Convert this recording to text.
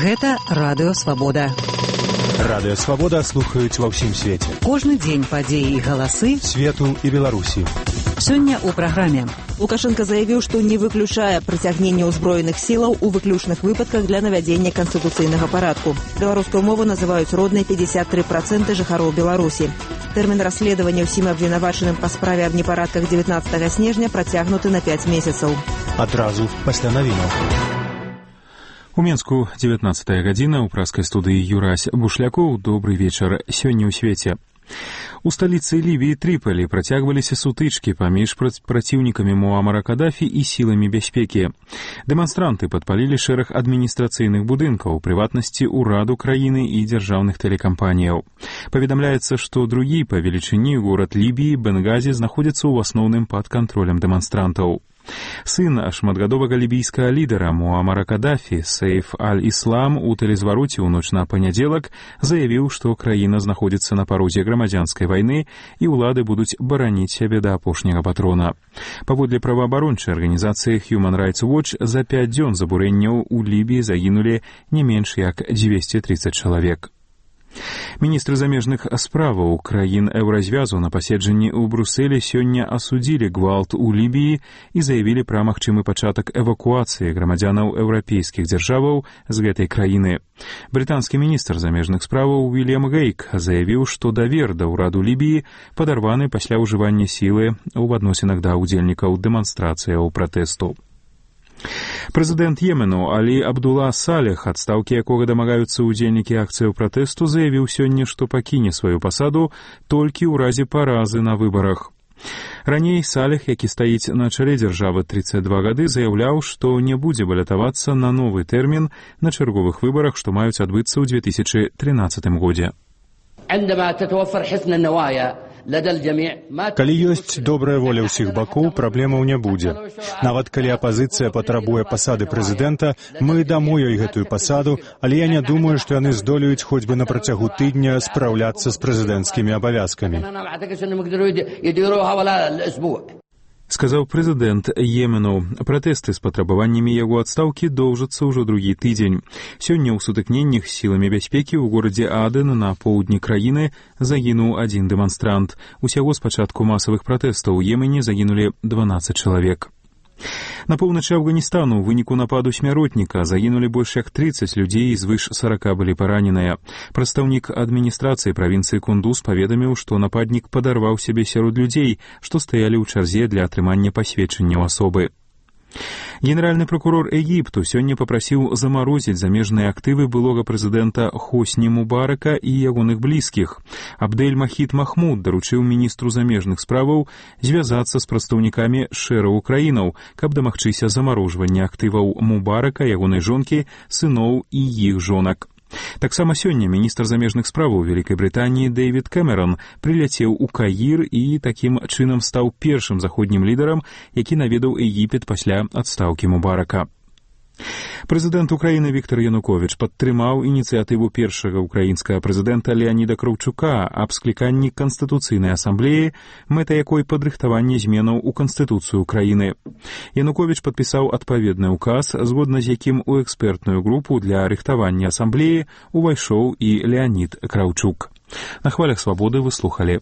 Гэта Радыё Свабода. Радыё Свабода слухаюць ва ўсім свеце. Кожны дзень падзеі і галасы свету і Беларусі. Сёння ў праграме. Лукашенко заявіў, што не выключае прыцягнення ўзброеных сілаў у выключных выпадках для навядзення канстытуцыйнага парадку. Беларускую мову называюць роднай 53% жыхароў Беларусі. Тэрмін расследавання ўсім абвінавачаным па справе аб непарадках 19 снежня працягнуты на 5 месяцаў. Адразу пасля навінаў. У Менску 19 гадзіна, у праскай студыі Юрась Бушлякоў. Добрый вечар. Сёння ў свеце. У сталіцы Лівіі Трыполі працягваліся сутычкі паміж праціўнікамі Муамара Кадафі і сіламі бяспекі. Дэманстранты падпалілі шэраг адміністрацыйных будынкаў, у прыватнасці ўраду краіны і дзяржаўных тэлекампаніяў. Паведамляецца, што другі па велічыні горад Лібіі Бенгазі знаходзіцца ў асноўным пад кантролем дэманстрантаў. Сын шматгадовага лібійскага лідара Муамара Кадафі, Сейф аль-Іслам, у тэлезвароце ў ноч на панядзелак заявіў, што краіна знаходзіцца на парозе грамадзянскай вайны і ўлады будуць бараніць сябе да апошняга патрона. Паводле праваабарончай арганізацыі Human Rights Watch, за 5 дзён забурэнняў у Лібіі загінулі не менш як 230 чалавек. Міністры замежных справаў краін еўразвязу на паседжанні ў Брусэлі сёння асудзілі гвалт у Лібіі і заявілі пра магчымы пачатак эвакуацыі грамадзянаў еўрапейскіх дзяржаваў з гэтай краіны. Брытанскі міністр замежных справаў Уильям Гейк заявіў, што давер да ўраду Лібіі падарваны пасля ўжывання сілы ў адносінах да ўдзельнікаў дэманстрацыяў пратэсту. Прэзідэнт Йемену Алі Абдула Салех, адстаўкі якога дамагаюцца ўдзельнікі акцыяў пратэсту, заявіў сёння, што пакіне сваю пасаду толькі ў разе паразы на выбарах. Раней Салех, які стаіць на чале дзяржавы 32 гады, заяўляў, што не будзе балятавацца на новы тэрмін на чарговых выбарах, што маюць адбыцца ў 2013 годзе. Калі ёсць добрая воля ўсіх бакоў, праблемаў не будзе. Нават калі апазіцыя патрабуе пасады прэзідэнта, мы дамо ёй гэтую пасаду, але я не думаю, што яны здолеюць хоць бы на працягу тыдня спраўляцца з прэзідэнцкімі абавязкамі. Сказаў прэзідэнт Йемену. Пратэсты з патрабаваннямі яго адстаўкі доўжацца ўжо другі тыдзень. Сёння ў сутыкненнях з сіламі бяспекі ў горадзе Аден на поўдні краіны загінуў адзін дэманстрант. Усяго з пачатку масавых пратэстаў у Йемене загінулі 12 чалавек. На поўначы Афганістану ў выніку нападу смяротніка загінулі больш як 30 людзей і звыш 40 былі параненыя. Прадстаўнік адміністрацыі правінцыі Кундуз паведаміў, што нападнік падарваў сябе сярод людзей, што стаялі ў чарзе для атрымання пасведчанняў асобы. Генеральны прокурор Егіпту сёння папрасіў замарозіць замежныя актывы былога прэзідэнта Хосні Мубарака і ягоных блізкіх. Абдэль Махід Махмуд даручыў міністру замежных справаў звязацца з прадстаўнікамі шэрагу краінаў, каб дамагчыся замарожвання актываў Мубарака, ягонай жонкі, сыноў і іх жонак. Таксама сёння міністр замежных справаў Вялікай Брытаніі Дэвід Кэмерон прыляцеў у Каір і такім чынам стаў першым заходнім лідарам, які наведаў Егіпет пасля адстаўкі Мубарака. Прэзідэнт Украіны Віктор Януковіч падтрымаў ініцыятыву першага ўкраінскага прэзідэнта Леаніда Краўчука аб скліканні Канстытуцыйнай асамблеі, мэта якой падрыхтаванне зменаў у Канстытуцыю Украіны. Януковіч падпісаў адпаведны ўказ, згодна з якім у экспертную групу для рыхтавання асамблеі увайшоў і Леанід Краўчук. На хвалях Свабоды вы слухалі